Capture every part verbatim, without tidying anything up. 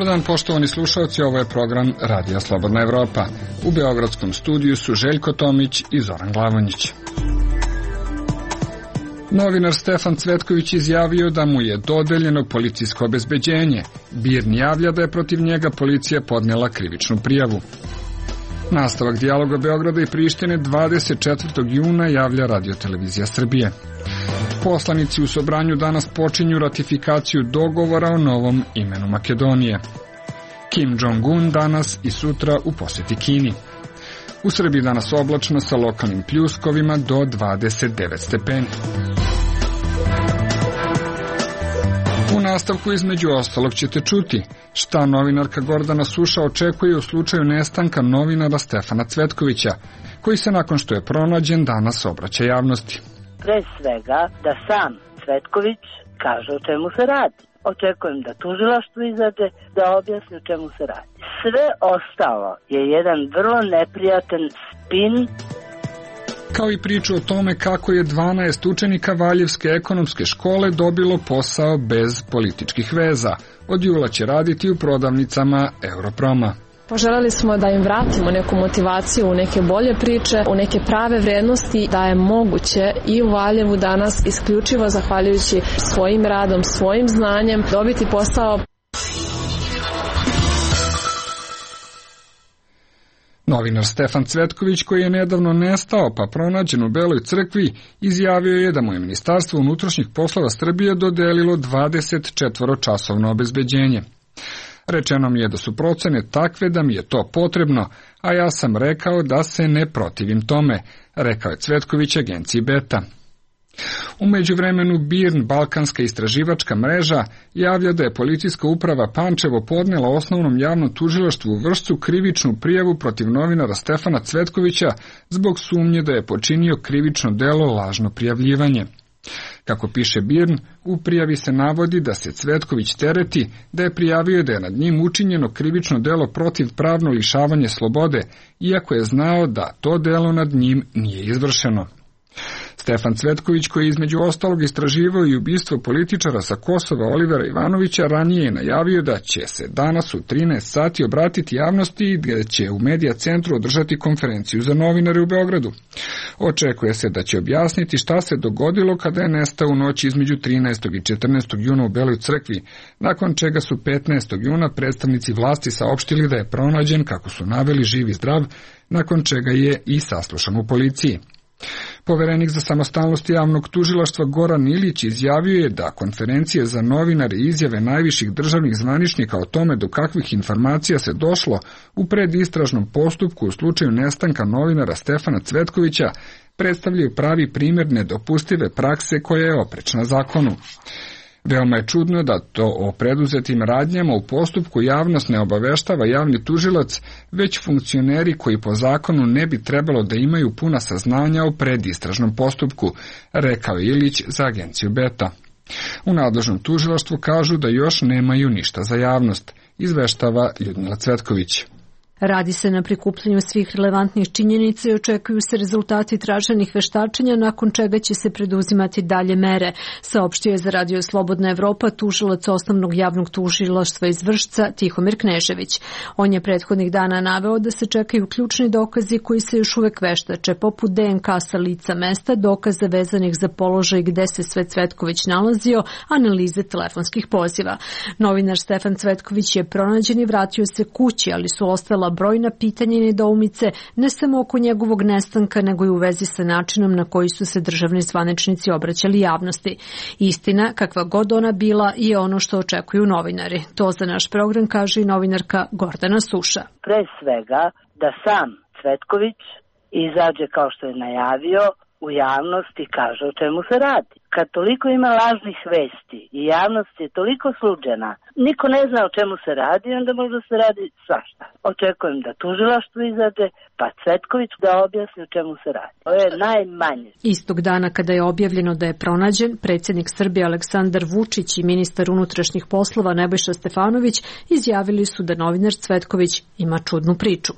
Dobar dan, poštovani slušalci, ovo je program Radija Slobodna Evropa. U beogradskom studiju su Željko Tomić i Zoran Glavonjić. Novinar Stefan Cvetković izjavio da mu je dodeljeno policijsko obezbeđenje. BIRN javlja da je protiv njega policija podnela krivičnu prijavu. Nastavak dijaloga Beograda i Prištine dvadeset četvrtog juna javlja Radio-televizija Srbije. Poslanici u Sobranju danas počinju ratifikaciju dogovora o novom imenu Makedonije. Kim Jong-un danas i sutra u posjeti Kini. U Srbiji danas oblačno sa lokalnim pljuskovima do dvadeset devet stepeni. U nastavku između ostalog ćete čuti šta novinarka Gordana Suša očekuje u slučaju nestanka novinara Stefana Cvetkovića, koji se nakon što je pronađen danas obraća javnosti. Pre svega da sam Cvetković kaže o čemu se radi. Očekujem da tužilaštvo izađe da objasni o čemu se radi. Sve ostalo je jedan vrlo neprijatan spin. Kao i priču o tome kako je dvanaest učenika Valjevske ekonomske škole dobilo posao bez političkih veza. Od jula će raditi u prodavnicama Europroma. Poželjeli smo da im vratimo neku motivaciju u neke bolje priče, u neke prave vrednosti, da je moguće i u Valjevu danas isključivo zahvaljujući svojim radom, svojim znanjem dobiti posao. Novinar Stefan Cvetković, koji je nedavno nestao pa pronađen u Beloj crkvi, izjavio je da mu je Ministarstvo unutrašnjih poslova Srbije dodelilo dvadeset četvoročasovno obezbeđenje. Rečeno mi je da su procene takve da mi je to potrebno, a ja sam rekao da se ne protivim tome, rekao je Cvetković agenciji Beta. U međuvremenu BIRN, Balkanska istraživačka mreža, javlja da je policijska uprava Pančevo podnela osnovnom javnom tužilaštvu u Vršcu krivičnu prijavu protiv novinara Stefana Cvetkovića zbog sumnje da je počinio krivično delo lažno prijavljivanje. Kako piše BIRN, u prijavi se navodi da se Cvetković tereti da je prijavio da je nad njim učinjeno krivično delo protiv pravno lišavanje slobode, iako je znao da to delo nad njim nije izvršeno. Stefan Cvetković, koji je između ostalog istraživao i ubistvo političara sa Kosova Olivera Ivanovića, ranije je najavio da će se danas u trinaest sati obratiti javnosti i da će u Medija centru održati konferenciju za novinare u Beogradu. Očekuje se da će objasniti šta se dogodilo kada je nestao u noći između trinaestog i četrnaestog juna u Beloj crkvi, nakon čega su petnaestog juna predstavnici vlasti saopštili da je pronađen, kako su naveli, živ i zdrav, nakon čega je i saslušan u policiji. Poverenik za samostalnost javnog tužilaštva Goran Ilić izjavio je da konferencije za novinare i izjave najviših državnih zvaničnika o tome do kakvih informacija se došlo u predistražnom postupku u slučaju nestanka novinara Stefana Cvetkovića predstavljaju pravi primjer nedopustive prakse koja je oprečna zakonu. Veoma je čudno da to o preduzetim radnjama u postupku javnost ne obaveštava javni tužilac, već funkcioneri koji po zakonu ne bi trebalo da imaju puna saznanja o predistražnom postupku, rekao je Ilić za agenciju Beta. U nadležnom tužilaštvu kažu da još nemaju ništa za javnost, izveštava Ljudmila Cvetković. Radi se na prikupljanju svih relevantnih činjenica i očekuju se rezultati traženih veštačenja, nakon čega će se preduzimati dalje mere, saopštio je za Radio Slobodna Evropa tužilac osnovnog javnog tužilaštva iz Vršca Tihomir Knežević. On je prethodnih dana naveo da se čekaju ključni dokazi koji se još uvek veštače, poput D N K sa lica mesta, dokaze vezanih za položaj gde se sve Cvetković nalazio, analize telefonskih poziva. Novinar Stefan Cvetković je pronađen i vratio se kući, ali su ostala brojna pitanja i nedoumice, ne samo oko njegovog nestanka, nego i u vezi sa načinom na koji su se državni zvaničnici obraćali javnosti. Istina, kakva god ona bila, je ono što očekuju novinari. To za naš program kaže i novinarka Gordana Suša. Pre svega da sam Cvetković izađe kao što je najavio u javnost i kaže o čemu se radi. Kad toliko ima lažnih vesti i javnost je toliko sluđena, niko ne zna o čemu se radi, onda možda se radi svašta. Očekujem da tužilaštvo izađe, pa Cvetković da objasni o čemu se radi. To je najmanje. Istog dana kada je objavljeno da je pronađen, predsjednik Srbije Aleksandar Vučić i ministar unutrašnjih poslova Nebojša Stefanović izjavili su da novinar Cvetković ima čudnu priču.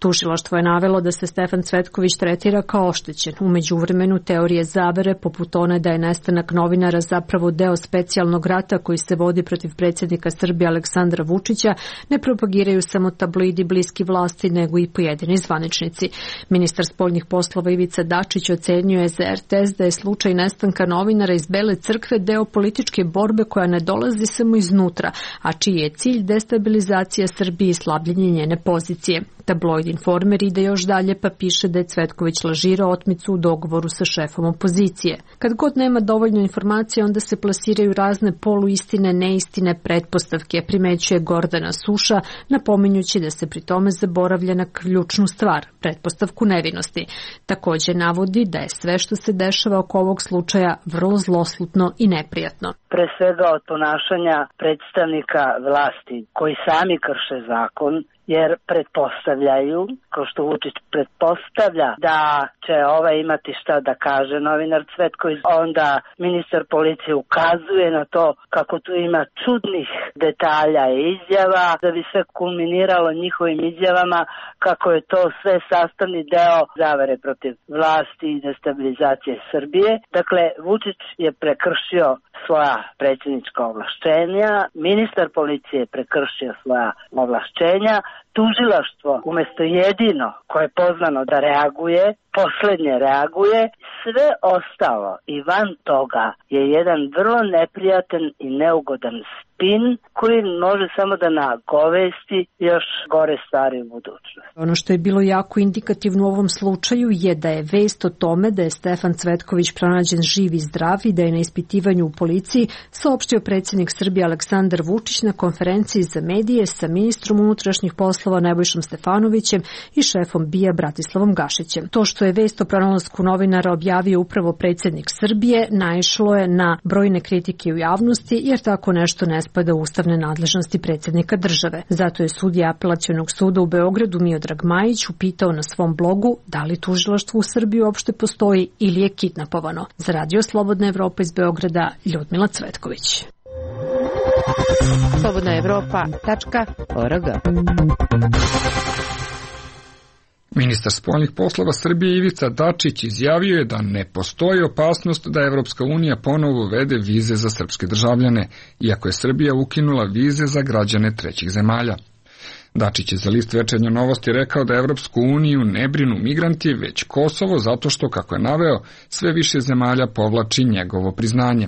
Tužilaštvo je navelo da se Stefan Cvetković tretira kao oštećen. U međuvremenu teorije zavere, poput one da je nestanak novinara zapravo deo specijalnog rata koji se vodi protiv predsjednika predsjednika Srbije Aleksandra Vučića ne propagiraju samo tabloidi bliski vlasti, nego i pojedini zvaničnici. Ministar spoljnih poslova Ivica Dačić ocenjuje za er te es da je slučaj nestanka novinara iz Bele crkve deo političke borbe koja ne dolazi samo iznutra, a čiji je cilj destabilizacija Srbije i slabljenje njene pozicije. Tabloid Informer ide još dalje pa piše da je Cvetković lažirao otmicu u dogovoru sa šefom opozicije. Kad god nema dovoljno informacija, onda se plasiraju razne poluistine, neistine, pretpostavke, primećuje Gordana Suša, napominjući da se pri tome zaboravlja na ključnu stvar, pretpostavku nevinosti. Također navodi da je sve što se dešava oko ovog slučaja vrlo zloslutno i neprijatno. Pre svega od ponašanja predstavnika vlasti koji sami krše zakon, jer pretpostavljaju, kao što Vučić pretpostavlja da će ovaj imati šta da kaže novinar Cvetković, onda ministar policije ukazuje na to kako tu ima čudnih detalja i izjava, da bi sve kulminiralo njihovim izjavama kako je to sve sastavni deo zavere protiv vlasti i destabilizacije Srbije. Dakle, Vučić je prekršio svoja predsjednička ovlašćenja, ministar policije je prekršio svoja ovlašćenja, tužilaštvo umjesto jedino koje je pozvano da reaguje, poslednje reaguje, sve ostalo i van toga je jedan vrlo neprijatan i neugodan spin koji može samo da nagovesti još gore stvari u budućnosti. Ono što je bilo jako indikativno u ovom slučaju je da je vest o tome da je Stefan Cvetković pronađen živ i zdrav i da je na ispitivanju u policiji saopštio predsjednik Srbije Aleksandar Vučić na konferenciji za medije sa ministrom unutrašnjih poslova Nebojšom Stefanovićem i šefom B I A Bratislavom Gašićem. To što je vest o pronalasku novinara objavio upravo predsjednik Srbije naišlo je na brojne kritike u javnosti, jer tako nešto ne spada u ustavne nadležnosti predsjednika države. Zato je sudija Apelacionog suda u Beogradu Miodrag Majić upitao na svom blogu da li tužilaštvo u Srbiji uopšte postoji ili je kidnapovano. Za Radio Slobodna Evropa iz Beograda, Ljudmila Cvetković. slobodna evropa tačka org. Ministar spoljnih poslova Srbije Ivica Dačić izjavio je da ne postoji opasnost da Evropska unija ponovo uvede vize za srpske državljane, iako je Srbija ukinula vize za građane trećih zemalja. Dačić je za list Večernje novosti rekao da Evropsku uniju ne brinu migranti, već Kosovo, zato što, kako je naveo, sve više zemalja povlači njegovo priznanje.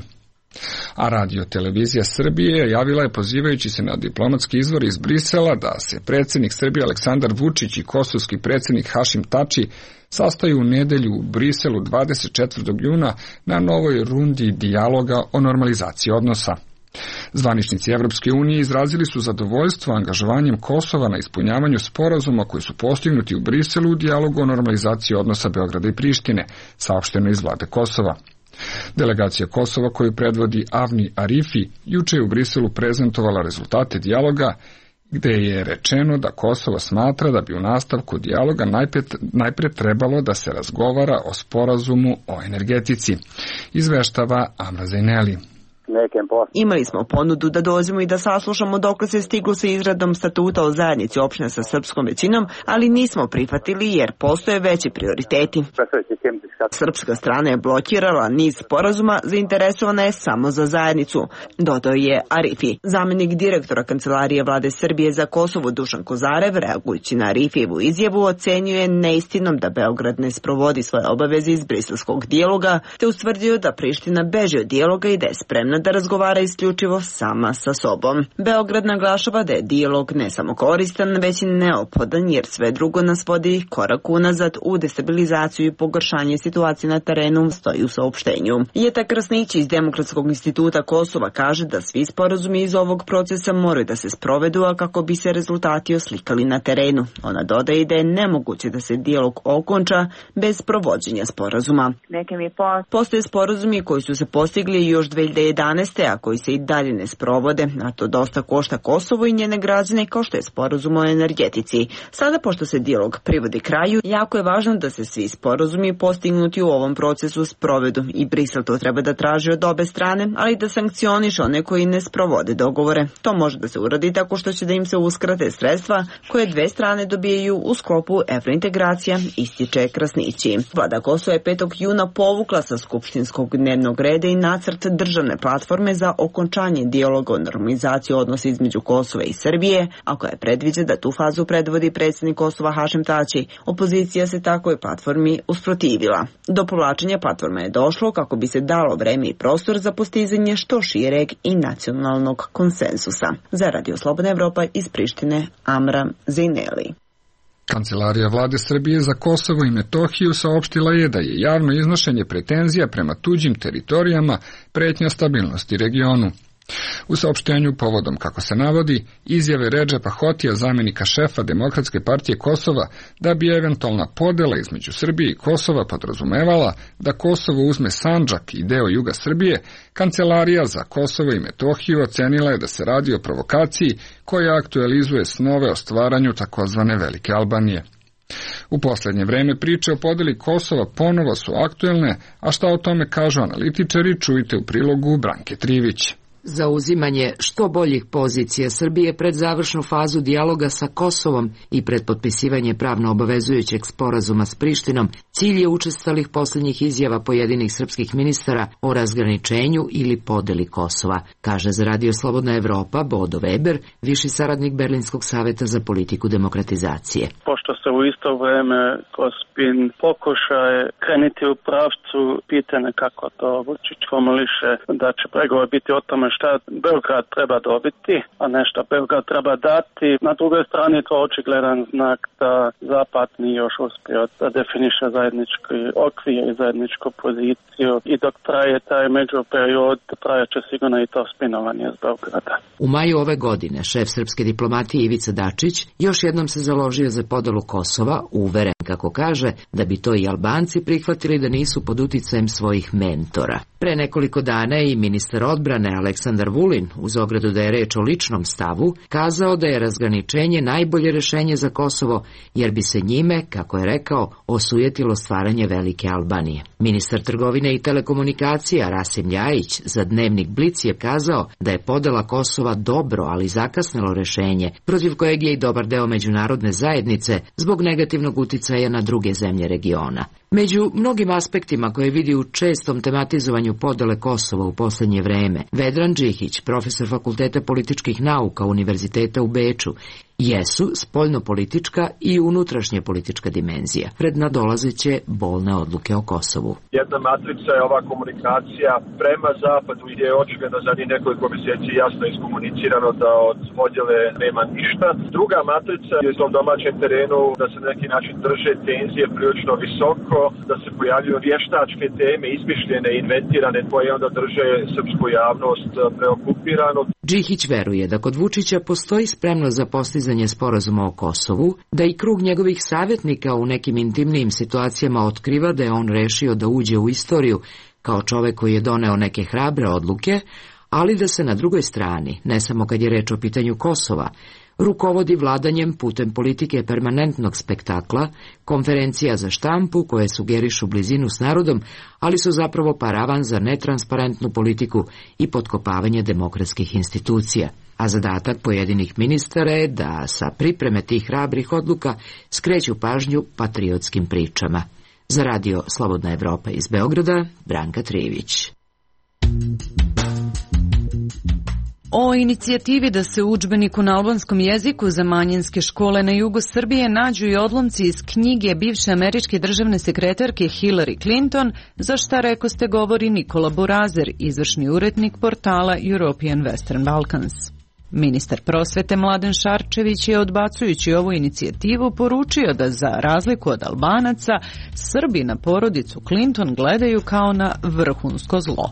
A radio televizija Srbije javila je, pozivajući se na diplomatski izvor iz Brisela, da se predsjednik Srbije Aleksandar Vučić i kosovski predsjednik Hašim Tači sastaju u nedelju u Briselu dvadeset četvrtog juna na novoj rundi dijaloga o normalizaciji odnosa. Zvaničnici Evropske unije izrazili su zadovoljstvo angažovanjem Kosova na ispunjavanju sporazuma koji su postignuti u Briselu u dijalogu o normalizaciji odnosa Beograda i Prištine, saopšteno iz vlade Kosova. Delegacija Kosova koju predvodi Avni Arifi juče je u Briselu prezentovala rezultate dijaloga, gde je rečeno da Kosovo smatra da bi u nastavku dijaloga najpre, najpre trebalo da se razgovara o sporazumu o energetici, izveštava Amra Zajneli. Imali smo ponudu da dođemo i da saslušamo dokle se stiglo sa izradom statuta o zajednici opština sa srpskom većinom, ali nismo prihvatili jer postoje veći prioriteti. Srpska strana je blokirala niz sporazuma, zainteresovana je samo za zajednicu, dodao je Arifi. Zamenik direktora Kancelarije vlade Srbije za Kosovo Dušan Kozarev, reagujući na Arifijevu izjavu, ocenjuje neistinom da Beograd ne sprovodi svoje obaveze iz briselskog dijaloga, te ustvrdio da Priština beži od dijaloga i da je spremna da razgovara isključivo sama sa sobom. Beograd naglašava da je dijalog ne samo koristan, već i neophodan, jer sve drugo nas vodi korak unazad u destabilizaciju i pogoršanje situacije na terenu, stoji u saopštenju. Jeta Krasnić iz Demokratskog instituta Kosova kaže da svi sporazumi iz ovog procesa moraju da se sprovedu, a kako bi se rezultati oslikali na terenu. Ona dodaje da je nemoguće da se dijalog okonča bez provođenja sporazuma. Postoje sporazumi koji su se postigli još dve hiljade jedanaeste. a koji se i dalje ne sprovode, a to dosta košta Kosovo i njene građane, kao što je sporazum o energetici. Sada, pošto se dijalog privodi kraju, jako je važno da se svi sporazumi postignuti u ovom procesu sprovedu i Brisel to treba da traži od obe strane, ali da sankcioniše one koji ne sprovode dogovore. To može da se uradi tako što će da im se uskrate sredstva koje dve strane dobijaju u sklopu evrointegracija, ističe Krasnići. Vlada Kosova je petog juna povukla sa skupštinskog dnevnog reda i nacrt državne platforme platforme za okončanje dijaloga o normalizaciji odnosa između Kosova i Srbije, a koja predviđa da tu fazu predvodi predsjednik Kosova Hašim Tači. Opozicija se takvoj platformi usprotivila. Do povlačenja platforme je došlo kako bi se dalo vreme i prostor za postizanje što šireg i nacionalnog konsensusa. Za Radio Slobodna Evropa iz Prištine, Amram Zejneli. Kancelarija vlade Srbije za Kosovo i Metohiju saopštila je da je javno iznošenje pretenzija prema tuđim teritorijama pretnja stabilnosti regionu. U saopštenju povodom, kako se navodi, izjave Redžepa Hotija, zamjenika šefa Demokratske partije Kosova, da bi eventualna podela između Srbije i Kosova podrazumevala da Kosovo uzme Sandžak i deo juga Srbije, Kancelarija za Kosovo i Metohiju ocenila je da se radi o provokaciji koja aktualizuje snove o stvaranju takozvane Velike Albanije. U posljednje vreme priče o podeli Kosova ponovo su aktuelne, a šta o tome kažu analitičari čujte u prilogu Branke Trivić. Zauzimanje što boljih pozicija Srbije pred završnu fazu dijaloga sa Kosovom i pred potpisivanje pravno obavezujućeg sporazuma s Prištinom cilj je učestalih posljednjih izjava pojedinih srpskih ministara o razgraničenju ili podeli Kosova, kaže za Radio Slobodna Evropa Bodo Weber, viši saradnik Berlinskog saveta za politiku demokratizacije. Pošto se u isto vreme Kospin pokušaje krenuti u pravcu pitanja kako to Vučić formuliše da će pregovor biti o tome šta Beograd treba dobiti, a ne šta Beograd treba dati. Na drugoj strani je to očigledan znak da Zapad nije još uspio da definiše zajednički okvir i zajedničku poziciju i dok traje taj međuperiod, trajaće sigurno i to spinovanje iz Beograda. U maju ove godine šef srpske diplomatije Ivica Dačić još jednom se založio za podelu Kosova, uveren, kako kaže, da bi to i Albanci prihvatili da nisu pod uticajem svojih mentora. Pre nekoliko dana i ministar odbrane Aleksandar Vulin, uz ogradu da je reč o ličnom stavu, kazao da je razgraničenje najbolje rešenje za Kosovo, jer bi se njime, kako je rekao, osujetilo stvaranje Velike Albanije. Ministar trgovine i telekomunikacija Rasim Ljajić za dnevnik Blic je kazao da je podela Kosova dobro, ali zakasnelo rešenje, protiv kojeg je i dobar deo međunarodne zajednice zbog negativnog uticaja na druge zemlje regiona. Među mnogim aspektima koje vidi u čestom tematizovanju podele Kosova u posljednje vreme, Vedran Džihić, profesor Fakulteta političkih nauka Univerziteta u Beču, jesu spoljnopolitička i unutrašnja politička dimenzija pred nadolazeće bolne odluke o Kosovu. Jedna matrica je ova komunikacija prema zapadu gdje je očigledno za njih nekoliko mjeseci jasno iskomunicirano da od podjele nema ništa. Druga matrica je u domaćem terenu da se na neki način drže tenzije prilično visoko, da se pojavljuju vještačke teme, izmišljene, inventirane, koje onda drže srpsku javnost preokupiranu. Džihić veruje da kod Vučića postoji spremnost za postizanje sporazuma o Kosovu, da i krug njegovih savjetnika u nekim intimnijim situacijama otkriva da je on rešio da uđe u istoriju kao čovek koji je doneo neke hrabre odluke, ali da se na drugoj strani, ne samo kad je reč o pitanju Kosova, rukovodi vladanjem putem politike permanentnog spektakla, konferencija za štampu koje sugerišu blizinu s narodom, ali su zapravo paravan za netransparentnu politiku i potkopavanje demokratskih institucija. A zadatak pojedinih ministara je da sa pripreme tih hrabrih odluka skreću pažnju patriotskim pričama. Za Radio Slobodna Evropa iz Beograda, Branka Trivić. O inicijativi da se u udžbeniku na albanskom jeziku za manjinske škole na jugu Srbije nađu i odlomci iz knjige bivše američke državne sekretarke Hillary Clinton, za šta rekoste govori Nikola Burazer, izvršni urednik portala European Western Balkans. Ministar prosvete Mladen Šarčević je, odbacujući ovu inicijativu, poručio da za razliku od Albanaca, Srbi na porodicu Clinton gledaju kao na vrhunsko zlo.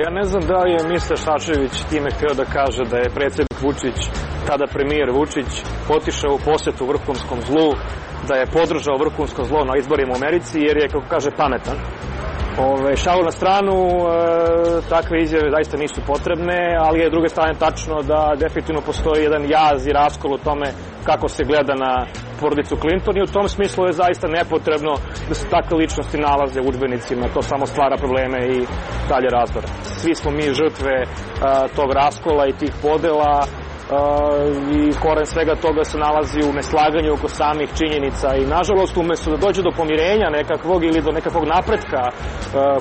Ja ne znam da li je ministar Šarčević time htio da kaže da je predsjednik Vučić, tada premijer Vučić, otišao u posjetu vrhunskom zlu, da je podržao vrhunsko zlo na izborima u Americi, jer je, kako kaže, pametan. Ove, šalu na stranu, e, takve izjave zaista nisu potrebne, ali je s druge strane tačno da definitivno postoji jedan jaz i raskol u tome kako se gleda na porodicu Clinton i u tom smislu je zaista nepotrebno da se takve ličnosti nalaze u udžbenicima. To samo stvara probleme i dalje razdor. Svi smo mi žrtve a, tog raskola i tih podela i koren svega toga se nalazi u neslaganju oko samih činjenica i nažalost umesto da dođe do pomirenja nekakvog ili do nekakvog napretka,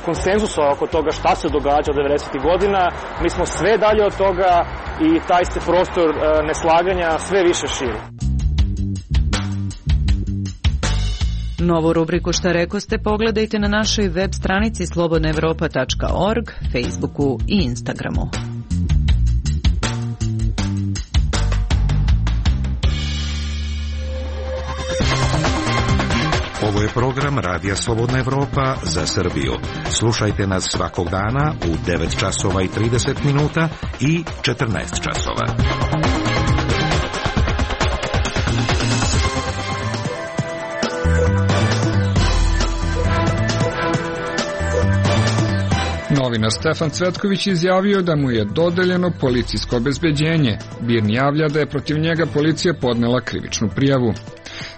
konsenzusa oko toga šta se događa od devedesetih godina, mi smo sve dalje od toga i taj se prostor neslaganja sve više širi. Novu rubriku Šta rekoste pogledajte na našoj web stranici slobodna evropa tačka org, Facebooku i Instagramu. Ovo je program Radija Slobodna Evropa za Srbiju. Slušajte nas svakog dana u devet časova i trideset minuta i četrnaest časova. Novinar Stefan Cvetković izjavio da mu je dodeljeno policijsko obezbeđenje. Birn javlja da je protiv njega policija podnela krivičnu prijavu.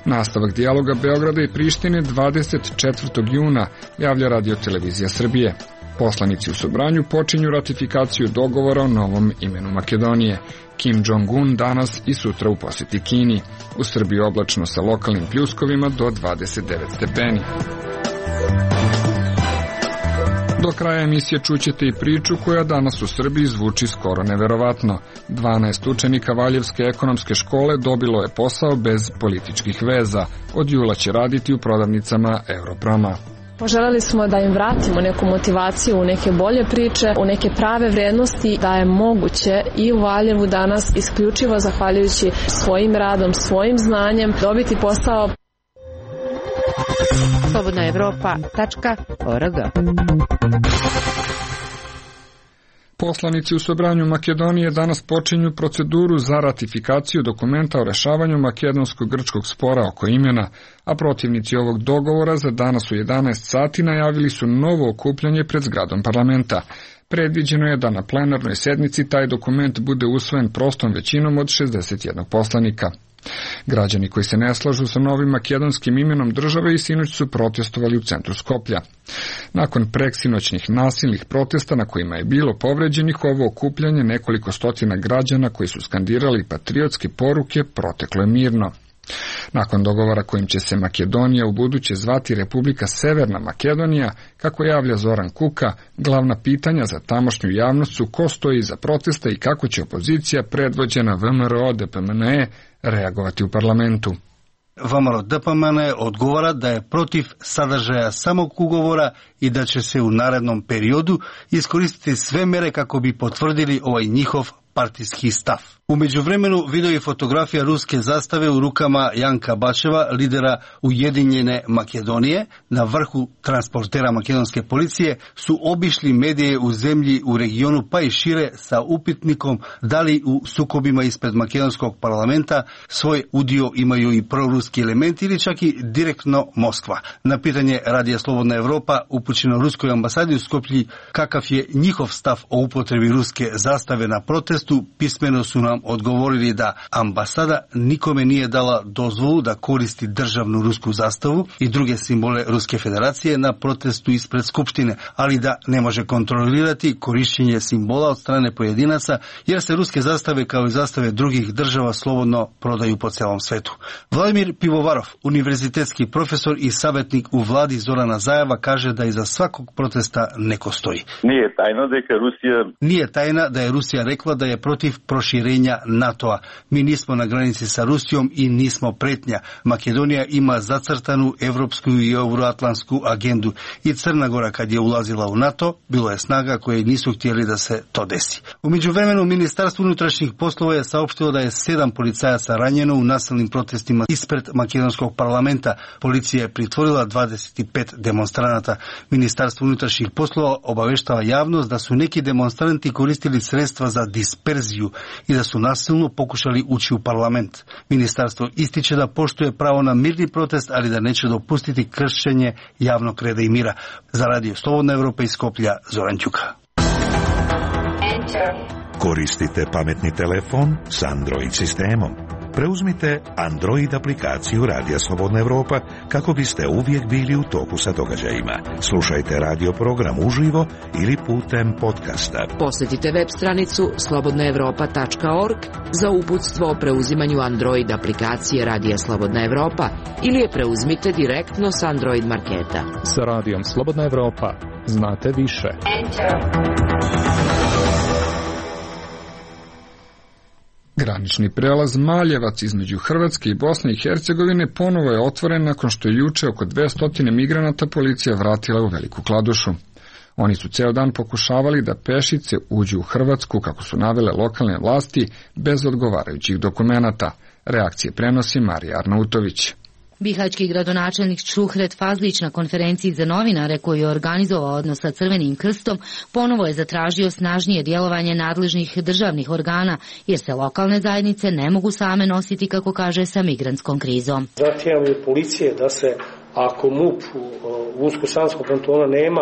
Nastavak dijaloga Beograda i Prištine dvadeset četvrtog juna, javlja Radio-televizija Srbije. Poslanici u Sobranju počinju ratifikaciju dogovora o novom imenu Makedonije. Kim Jong-un danas i sutra u posjeti Kini. U Srbiji oblačno sa lokalnim pljuskovima do dvadeset devet stepeni. Do kraja emisije čućete i priču koja danas u Srbiji zvuči skoro neverovatno. dvanaest učenika Valjevske ekonomske škole dobilo je posao bez političkih veza. Od jula će raditi u prodavnicama Europrama. Poželjeli smo da im vratimo neku motivaciju u neke bolje priče, u neke prave vrednosti, da je moguće i u Valjevu danas isključivo zahvaljujući svojim radom, svojim znanjem dobiti posao. slobodna evropa tačka org. Poslanici u Sobranju Makedonije danas počinju proceduru za ratifikaciju dokumenta o rešavanju makedonsko-grčkog spora oko imena, a protivnici ovog dogovora za danas u jedanaest sati najavili su novo okupljanje pred zgradom parlamenta. Predviđeno je da na plenarnoj sednici taj dokument bude usvojen prostom većinom od šezdeset jednog poslanika. Građani koji se ne slažu sa novim makedonskim imenom države i sinoć su protestovali u centru Skoplja. Nakon preksinoćnih nasilnih protesta na kojima je bilo povređenih, ovo okupljanje nekoliko stotina građana koji su skandirali patriotske poruke proteklo je mirno. Nakon dogovora kojim će se Makedonija u buduće zvati Republika Severna Makedonija, kako javlja Zoran Kuka, glavna pitanja za tamošnju javnost su ko stoji iza protesta i kako će opozicija predvođena V M R O D P M N E reagovati u parlamentu. V M R O D P M N E odgovara da je protiv sadržaja samog ugovora i da će se u narednom periodu iskoristiti sve mere kako bi potvrdili ovaj njihov partijski stav. U međuvremenu video i fotografija ruske zastave u rukama Janka Bačeva, lidera Ujedinjene Makedonije, na vrhu transportera makedonske policije, su obišli medije u zemlji u regionu pa i šire sa upitnikom da li u sukobima ispred makedonskog parlamenta svoj udio imaju i proruski elementi ili čak i direktno Moskva. Na pitanje Radija Slobodna Evropa upućeno ruskoj ambasadi u Skoplji kakav je njihov stav o upotrebi ruske zastave na protestu, pismeno su nam odgovorili da ambasada nikome nije dala dozvolu da koristi državnu rusku zastavu i druge simbole Ruske federacije na protestu ispred Skupštine, ali da ne može kontrolirati korišćenje simbola od strane pojedinaca, jer se ruske zastave kao i zastave drugih država slobodno prodaju po celom svetu. Vladimir Pivovarov, univerzitetski profesor i savjetnik u vladi Zorana Zajeva, kaže da iza svakog protesta neko stoji. Nije tajno da je Rusija... Nije tajna da je Rusija rekla da je protiv proširenja NATO-a. Mi nismo na granici sa Rusijom i nismo pretnja. Makedonija ima zacrtanu evropsku i euroatlantsku agendu i Crna Gora kad je ulazila u NATO, bilo je snaga koje nisu htjeli da se to desi. U međuvremenu Ministarstvo unutrašnjih poslova je saopštilo da je sedam policajaca ranjeno u nasilnim protestima ispred makedonskog parlamenta. Policija je pritvorila dvadeset pet demonstranata. Ministarstvo unutrašnjih poslova obaveštava javnost da su neki demonstranti koristili sredstva za disperziju i da su nasilno pokušali ući u parlament. Ministarstvo ističe da poštuje pravo na mirni protest, ali da neće dopustiti kršenje javnog reda i mira. Za Radio Slobodna Evropa iz Skoplja, Zoran Ćuka. Koristite pametni telefon s Android sistemom. Preuzmite Android aplikaciju Radija Slobodna Evropa kako biste uvijek bili u toku sa događajima. Slušajte radio program uživo ili putem podcasta. Posjetite web stranicu slobodna evropa tačka org za uputstvo o preuzimanju Android aplikacije Radija Slobodna Evropa ili je preuzmite direktno s Android marketa. Sa Radijom Slobodna Evropa znate više. Granični prelaz Maljevac između Hrvatske i Bosne i Hercegovine ponovo je otvoren nakon što je juče oko dvesta migranata policija vratila u Veliku Kladušu. Oni su ceo dan pokušavali da pešice uđu u Hrvatsku, kako su navele lokalne vlasti, bez odgovarajućih dokumenata. Reakcije prenosi Marija Arnautović. Bihaćki gradonačelnik Šuhret Fazlić na konferenciji za novinare koju je organizovao odnos sa Crvenim krstom ponovo je zatražio snažnije djelovanje nadležnih državnih organa jer se lokalne zajednice ne mogu same nositi, kako kaže, sa migrantskom krizom. Zahtijevamo od policije da se, ako MUP u Unsko-Sanskom kantonu nema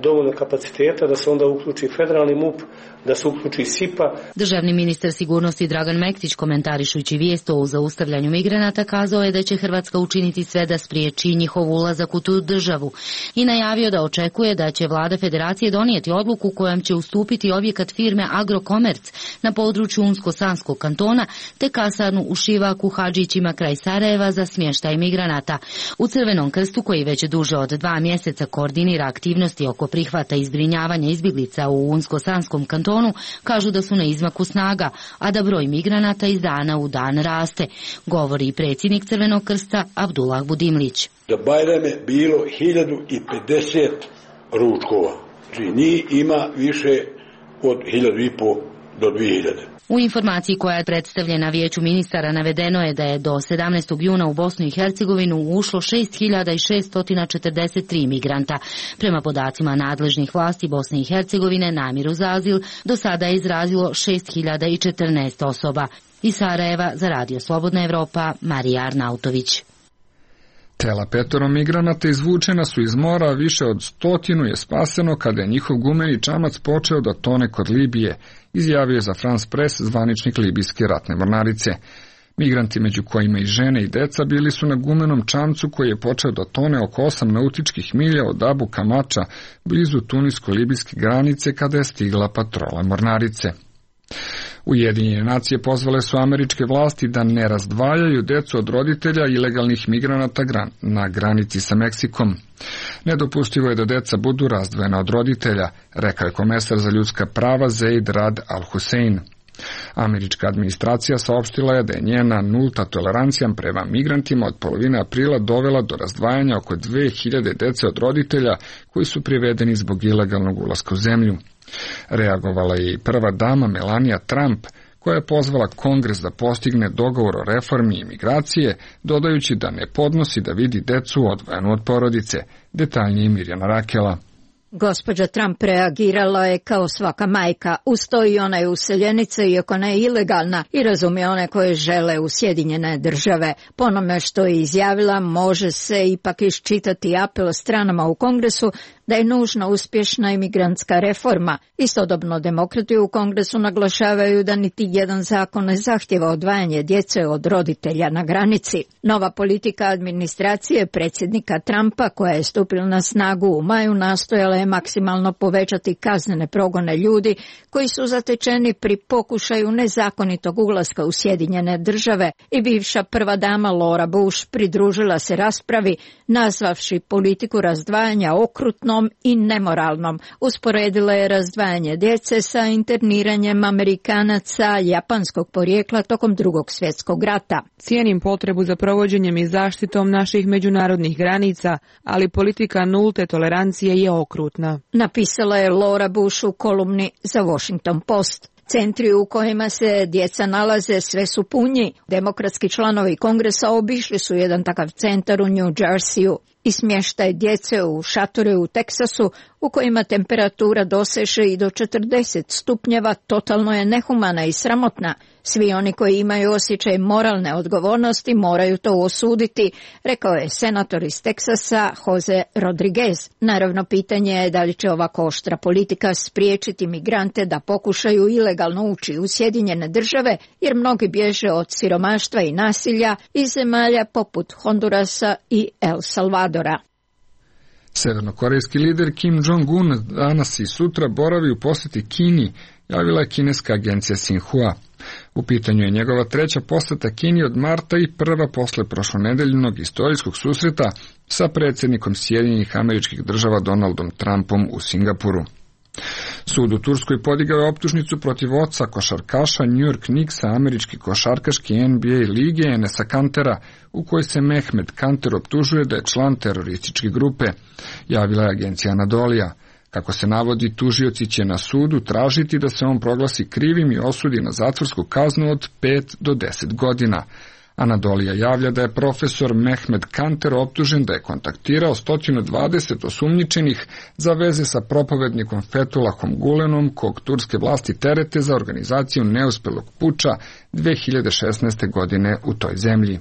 dovoljno kapaciteta, da se onda uključi federalni MUP, da se uključi SIPA. Državni ministar sigurnosti Dragan Mektić, komentarišući vijest o zaustavljanju migranata, kazao je da će Hrvatska učiniti sve da spriječi njihov ulazak u tu državu i najavio da očekuje da će vlada federacije donijeti odluku kojom će ustupiti objekat firme Agrokomerc na području Unsko-Sanskog kantona te kasarnu u Šivaku Hadžićima kraj Sarajeva za smještaj migranata. U Crvenom krstu, koji već duže od dva mjeseca koordinira aktivnosti oko prihvata i zbrinjavanja izbjeglica u Unsko-Sanskom kantonu, kažu da su na izmaku snaga, a da broj migranata iz dana u dan raste, govori i predsjednik Crvenog krsta Abdullah Budimlić. Za Bajrame bilo hiljadu pedeset ručkova, znači njih ima više od hiljadu i po do dvije hiljade. U informaciji koja je predstavljena Vijeću ministara navedeno je da je do sedamnaestog juna u Bosnu i Hercegovinu ušlo šest hiljada šeststo četrdeset tri migranta. Prema podacima nadležnih vlasti Bosne i Hercegovine, namjeru za azil do sada je izrazilo šest hiljada četrnaest osoba. Iz Sarajeva za Radio Slobodna Evropa, Marija Arnautović. Tela petoro migranata izvučena su iz mora, a više od stotinu je spaseno kada je njihov gumeni čamac počeo da tone kod Libije, izjavio je za France Press zvaničnik libijske ratne mornarice. Migranti, među kojima i žene i deca, bili su na gumenom čamcu koji je počeo da tone oko osam nautičkih milja od Abu Kamača, blizu tunisko-libijske granice, kada je stigla patrola mornarice. Ujedinjene nacije pozvale su američke vlasti da ne razdvajaju decu od roditelja ilegalnih migranata na granici sa Meksikom. Nedopustivo je da deca budu razdvojena od roditelja, rekao je komesar za ljudska prava Zeid Rad Al-Hussein. Američka administracija saopštila je da je njena nulta tolerancija prema migrantima od polovine aprila dovela do razdvajanja oko dve hiljade dece od roditelja koji su privedeni zbog ilegalnog ulaska u zemlju. Reagovala je i prva dama Melania Trump, koja je pozvala Kongres da postigne dogovor o reformi imigracije, dodajući da ne podnosi da vidi decu odvojenu od porodice. Detaljnije Mirjana Rakela. Gospođa Trump reagirala je kao svaka majka, uz to i ona je useljenica, iako ne ilegalna, i razumije one koje žele u Sjedinjene države. Po onome što je izjavila, može se ipak iščitati apel stranama u Kongresu da je nužna uspješna imigrantska reforma. Istodobno demokrati u Kongresu naglašavaju da niti jedan zakon ne zahtjeva odvajanje djece od roditelja na granici. Nova politika administracije predsjednika Trumpa, koja je stupila na snagu u maju, nastojala je maksimalno povećati kaznene progone ljudi koji su zatečeni pri pokušaju nezakonitog ulaska u Sjedinjene države, i bivša prva dama Laura Bush pridružila se raspravi, nazvavši politiku razdvajanja okrutnom i nemoralnom. Usporedila je razdvajanje djece sa interniranjem Amerikanaca japanskog porijekla tokom Drugog svjetskog rata. Cijenim potrebu za provođenjem i zaštitom naših međunarodnih granica, ali politika nulte tolerancije je okrutna, napisala je Laura Bush u kolumni za Washington Post. Centri u kojima se djeca nalaze sve su punji. Demokratski članovi Kongresa obišli su jedan takav centar u New Jerseyu. i smještaj djece u šatore u Teksasu u kojima temperatura doseže i do četrdeset stupnjeva totalno je nehumana i sramotna. Svi oni koji imaju osjećaj moralne odgovornosti moraju to osuditi, rekao je senator iz Teksasa Jose Rodriguez. Naravno, pitanje je da li će ovako oštra politika spriječiti migrante da pokušaju ilegalno ući u Sjedinjene države, jer mnogi bježe od siromaštva i nasilja iz zemalja poput Hondurasa i El Salvadora. Severnokorejski lider Kim Jong-un danas i sutra boravi u posjeti Kini, javila je kineska agencija Xinhua. U pitanju je njegova treća posjeta Kini od marta i prva posle prošlonedeljnog istorijskog susreta sa predsjednikom Sjedinjenih Američkih Država Donaldom Trumpom u Singapuru. Sud u Turskoj podigao je optužnicu protiv oca košarkaša New York Knicksa američke košarkaške N B A lige Enesa Kantera, u kojoj se Mehmet Kanter optužuje da je član terorističke grupe, javila je agencija Anadolija. Kako se navodi, tužioci će na sudu tražiti da se on proglasi krivim i osudi na zatvorsku kaznu od pet do deset godina. Anadolija javlja da je profesor Mehmet Kanter optužen da je kontaktirao sto dvadeset osumnjičenih za veze sa propovednikom Fethullahom Gulenom, kog turske vlasti terete za organizaciju neuspelog puča dve hiljade šesnaeste. godine u toj zemlji.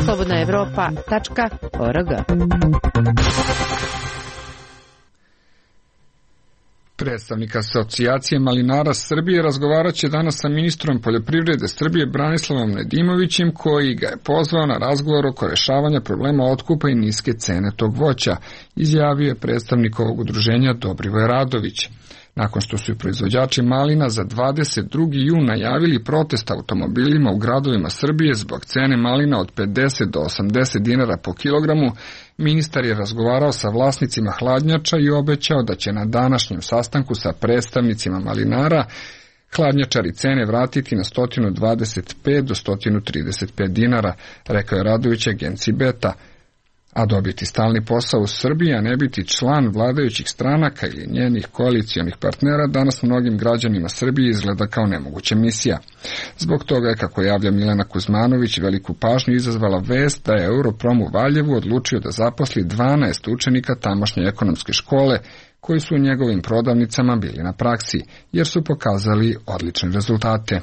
slobodna evropa tačka org. Predstavnik Asocijacije malinara Srbije razgovarat će danas sa ministrom poljoprivrede Srbije Branislavom Nedimovićem, koji ga je pozvao na razgovor oko rešavanja problema otkupa i niske cene tog voća, izjavio je predstavnik ovog udruženja Dobrivoje Radović. Nakon što su i proizvođači malina za dvadeset drugi jun najavili protest automobilima u gradovima Srbije zbog cene malina od pedeset do osamdeset dinara po kilogramu, ministar je razgovarao sa vlasnicima hladnjača i obećao da će na današnjem sastanku sa predstavnicima malinara hladnjačari cene vratiti na sto dvadeset pet do sto trideset pet dinara, rekao je Radović agenciji Beta. A dobiti stalni posao u Srbiji, a ne biti član vladajućih stranaka ili njenih koalicijonih partnera, danas mnogim građanima Srbije izgleda kao nemoguća misija. Zbog toga je, kako javlja Milena Kuzmanović, veliku pažnju izazvala vest da je Europrom u Valjevu odlučio da zaposli dvanaest učenika tamošnje ekonomske škole, koji su u njegovim prodavnicama bili na praksi, jer su pokazali odlične rezultate.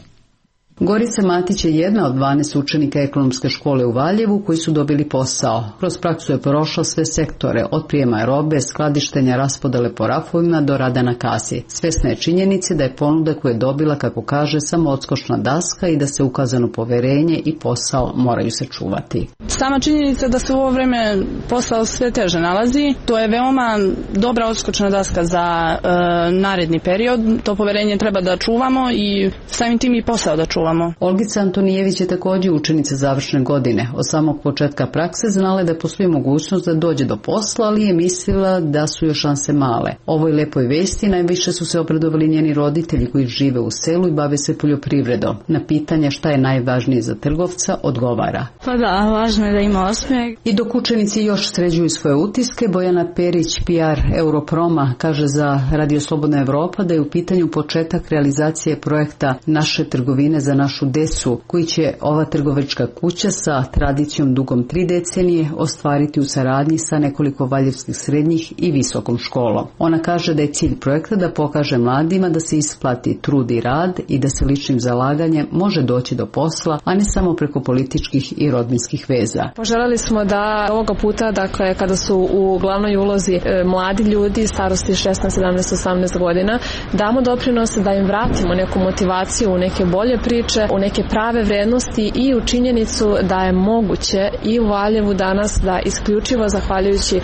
Gorica Matić je jedna od dvanaest učenika ekonomske škole u Valjevu koji su dobili posao. Kroz praksu je prošla sve sektore, od prijema robe, skladištenja, raspodele po rafovima do rada na kasi. Svesna je činjenice da je ponuda koju je dobila, kako kaže, samo odskočna daska i da se ukazano poverenje i posao moraju se čuvati. Sama činjenica da se u ovo vreme posao sve teže nalazi, to je veoma dobra odskočna daska za e, naredni period. To poverenje treba da čuvamo i samim tim i posao da čuvamo. Olgica Antonijević je također učenica završne godine. Od samog početka prakse znala je da postoji mogućnost da dođe do posla, ali je mislila da su još šanse male. Ovoj lepoj vesti najviše su se obradovali njeni roditelji koji žive u selu i bave se poljoprivredom. Na pitanje šta je najvažnije za trgovca odgovara: Pa da, važno je da ima osmijeh. I dok učenici još sređuju svoje utiske, Bojana Perić, P R Europroma, kaže za Radio Slobodna Evropa da je u pitanju početak realizacije projekta Naše trgovine za našu decu, koji će ova trgovačka kuća sa tradicijom dugom tri decenije ostvariti u saradnji sa nekoliko valjevskih srednjih i visokom školom. Ona kaže da je cilj projekta da pokaže mladima da se isplati trud i rad i da se ličnim zalaganjem može doći do posla, a ne samo preko političkih i rodbinskih veza. Poželjeli smo da ovoga puta, dakle, kada su u glavnoj ulozi e, mladi ljudi starosti šesnaest, sedamnaest, osamnaest godina, damo doprinose da im vratimo neku motivaciju u neke bolje priče, u neke prave vrednosti i u činjenicu da je moguće i u Valjevu danas da isključivo zahvaljujući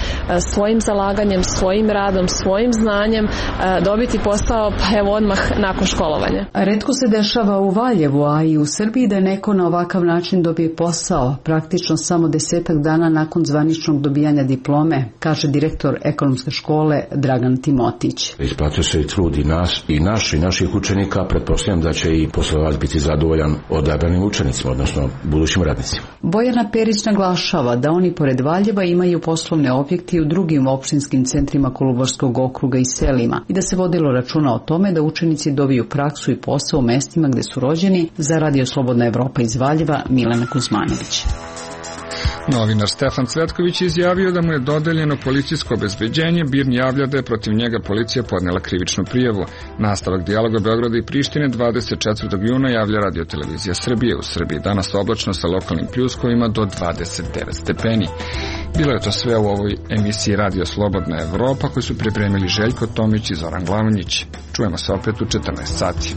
svojim zalaganjem, svojim radom, svojim znanjem dobiti posao, pa evo odmah nakon školovanja. Retko se dešava u Valjevu, a i u Srbiji da neko na ovakav način dobije posao, praktično samo desetak dana nakon zvaničnog dobijanja diplome, kaže direktor ekonomske škole Dragan Timotić. Isplatio se i trud i nas i naš i naših učenika, pretpostavljam da će i poslodavac biti zadovoljan odabranim učenicima, odnosno budućim radnicima. Bojana Perić naglašava da oni pored Valjeva imaju poslovne objekte i u drugim opštinskim centrima Kolubarskog okruga i selima i da se vodilo računa o tome da učenici dobiju praksu i posao u mestima gde su rođeni. Za Radio Slobodna Evropa iz Valjeva, Milena Kuzmanović. Novinar Stefan Cvetković izjavio da mu je dodeljeno policijsko obezbeđenje. BIRN javlja da je protiv njega policija podnela krivičnu prijavu. Nastavak dijaloga Beograda i Prištine dvadeset četvrtog juna javlja Radio-televizija Srbije. U Srbiji danas oblačno sa lokalnim pljuskovima do dvadeset devet stepeni. Bilo je to sve u ovoj emisiji Radio Slobodna Evropa koju su pripremili Željko Tomić i Zoran Glavonjić. Čujemo se opet u četrnaest sati.